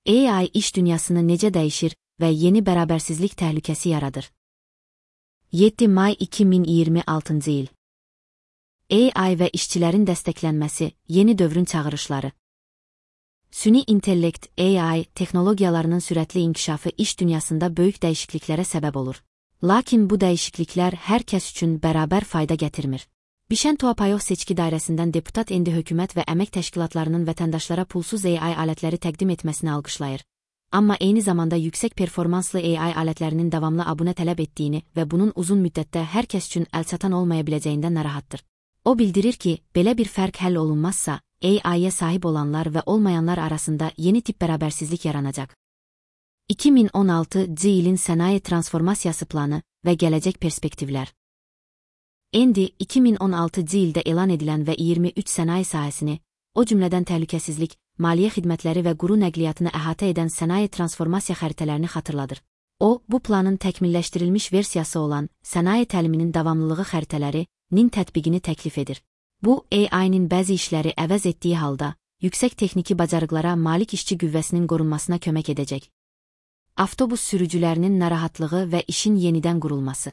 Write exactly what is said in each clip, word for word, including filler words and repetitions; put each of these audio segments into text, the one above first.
A I iş dünyasını necə dəyişir və yeni bərabərsizlik təhlükəsi yaradır? yeddi may iki min iyirmi altıncı il. A I və işçilərin dəstəklənməsi, yeni dövrün çağırışları. Süni intellekt, A I, texnologiyalarının sürətli inkişafı iş dünyasında böyük dəyişikliklərə səbəb olur. Lakin bu dəyişikliklər hər kəs üçün bərabər fayda gətirmir. Bişən Tuapayov seçki dairəsindən deputat endi hökumət və əmək təşkilatlarının vətəndaşlara pulsuz A I alətləri təqdim etməsini alqışlayır. Amma eyni zamanda yüksək performanslı A I alətlərinin davamlı abunə tələb etdiyini və bunun uzun müddətdə hər kəs üçün əlçatan olmaya biləcəyindən narahatdır. O bildirir ki, belə bir fərq həll olunmazsa, A I-yə sahib olanlar və olmayanlar arasında yeni tip bərabərsizlik yaranacaq. iki min on altıncı ilin sənaye transformasiyası planı və gələcək perspektivlər. Endi iki min on altıncı ildə elan edilən və iyirmi üç sənaye sahəsini, o cümlədən təhlükəsizlik, maliyyə xidmətləri və quru nəqliyyatını əhatə edən sənaye transformasiya xəritələrini xatırladır. O, bu planın təkmilləşdirilmiş versiyası olan sənaye təliminin davamlılığı xəritələri-nin tətbiqini təklif edir. Bu, A I-nin bəzi işləri əvəz etdiyi halda, yüksək texniki bacarıqlara malik işçi qüvvəsinin qorunmasına kömək edəcək. Avtobus sürücülərinin narahatlığı və işin yenidən qurulması.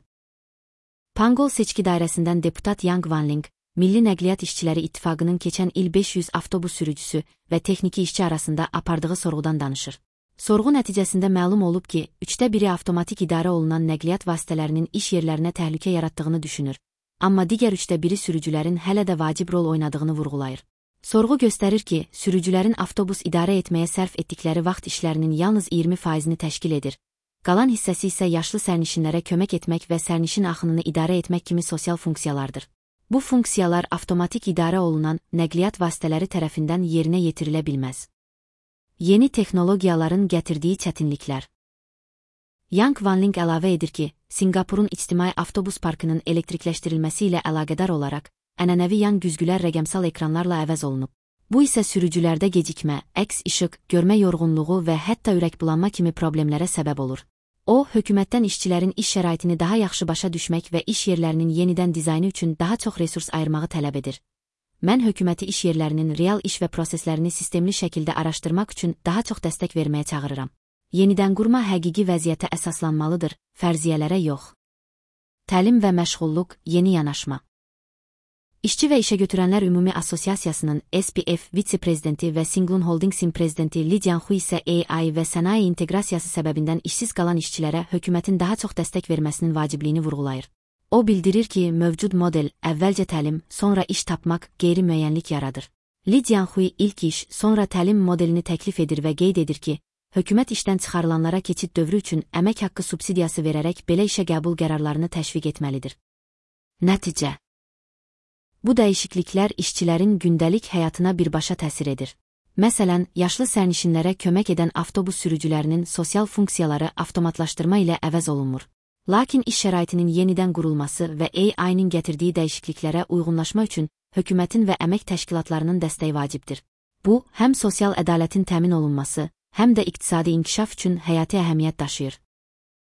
Pangol seçki dairəsindən deputat Yang Wanling, Milli Nəqliyyat İşçiləri İttifaqının keçən il beş yüz avtobus sürücüsü və texniki işçi arasında apardığı sorğudan danışır. Sorğu nəticəsində məlum olub ki, üçdə biri avtomatik idarə olunan nəqliyyat vasitələrinin iş yerlərinə təhlükə yaratdığını düşünür. Amma digər üçdə biri sürücülərin hələ də vacib rol oynadığını vurğulayır. Sorğu göstərir ki, sürücülərin avtobus idarə etməyə sərf etdikləri vaxt işlərinin yalnız iyirmi faizini təşkil edir. Qalan hissəsi isə yaşlı sərnişinlərə kömək etmək və sərnişin axınını idarə etmək kimi sosial funksiyalardır. Bu funksiyalar avtomatik idarə olunan nəqliyyat vasitələri tərəfindən yerinə yetirilə bilməz. Yeni texnologiyaların gətirdiyi çətinliklər. Yang Wanling əlavə edir ki, Singapurun ictimai avtobus parkının elektrikləşdirilməsi ilə əlaqədar olaraq, ənənəvi yan güzgülər rəqəmsal ekranlarla əvəz olunub. Bu isə sürücülərdə gecikmə, əks işıq, görmə yorğunluğu və hətta ürəkbulanma kimi problemlərə səbəb olur. O, hökumətdən işçilərin iş şəraitini daha yaxşı başa düşmək və iş yerlərinin yenidən dizaynı üçün daha çox resurs ayırmağı tələb edir. Mən hökuməti iş yerlərinin real iş və proseslərini sistemli şəkildə araşdırmaq üçün daha çox dəstək verməyə çağırıram. Yenidən qurma həqiqi vəziyyətə əsaslanmalıdır, fərziyyələrə yox. Təlim və məşğulluq, yeni yanaşma. İşçi və İşəgötürənlər Ümumi Assosiasiyasının S P F vitse-prezidenti və Singlun Holdingsin prezidenti Li Jianhui isə A I və sənaye inteqrasiyası səbəbindən işsiz qalan işçilərə hökumətin daha çox dəstək verməsinin vacibliyini vurğulayır. O bildirir ki, mövcud model, əvvəlcə təlim, sonra iş tapmaq, qeyri-müəyyənlik yaradır. Li Jianhui ilk iş, sonra təlim modelini təklif edir və qeyd edir ki, hökumət işdən çıxarılanlara keçid dövrü üçün əmək haqqı subsidiyası verərək belə işə qəbul qərarlarını təşviq etməlidir. Nəticə. Bu dəyişikliklər işçilərin gündəlik həyatına birbaşa təsir edir. Məsələn, yaşlı sərnişinlərə kömək edən avtobus sürücülərinin sosial funksiyaları avtomatlaşdırma ilə əvəz olunmur. Lakin iş şəraitinin yenidən qurulması və A I-nin gətirdiyi dəyişikliklərə uyğunlaşma üçün hökumətin və əmək təşkilatlarının dəstəyi vacibdir. Bu, həm sosial ədalətin təmin olunması, həm də iqtisadi inkişaf üçün həyati əhəmiyyət daşıyır.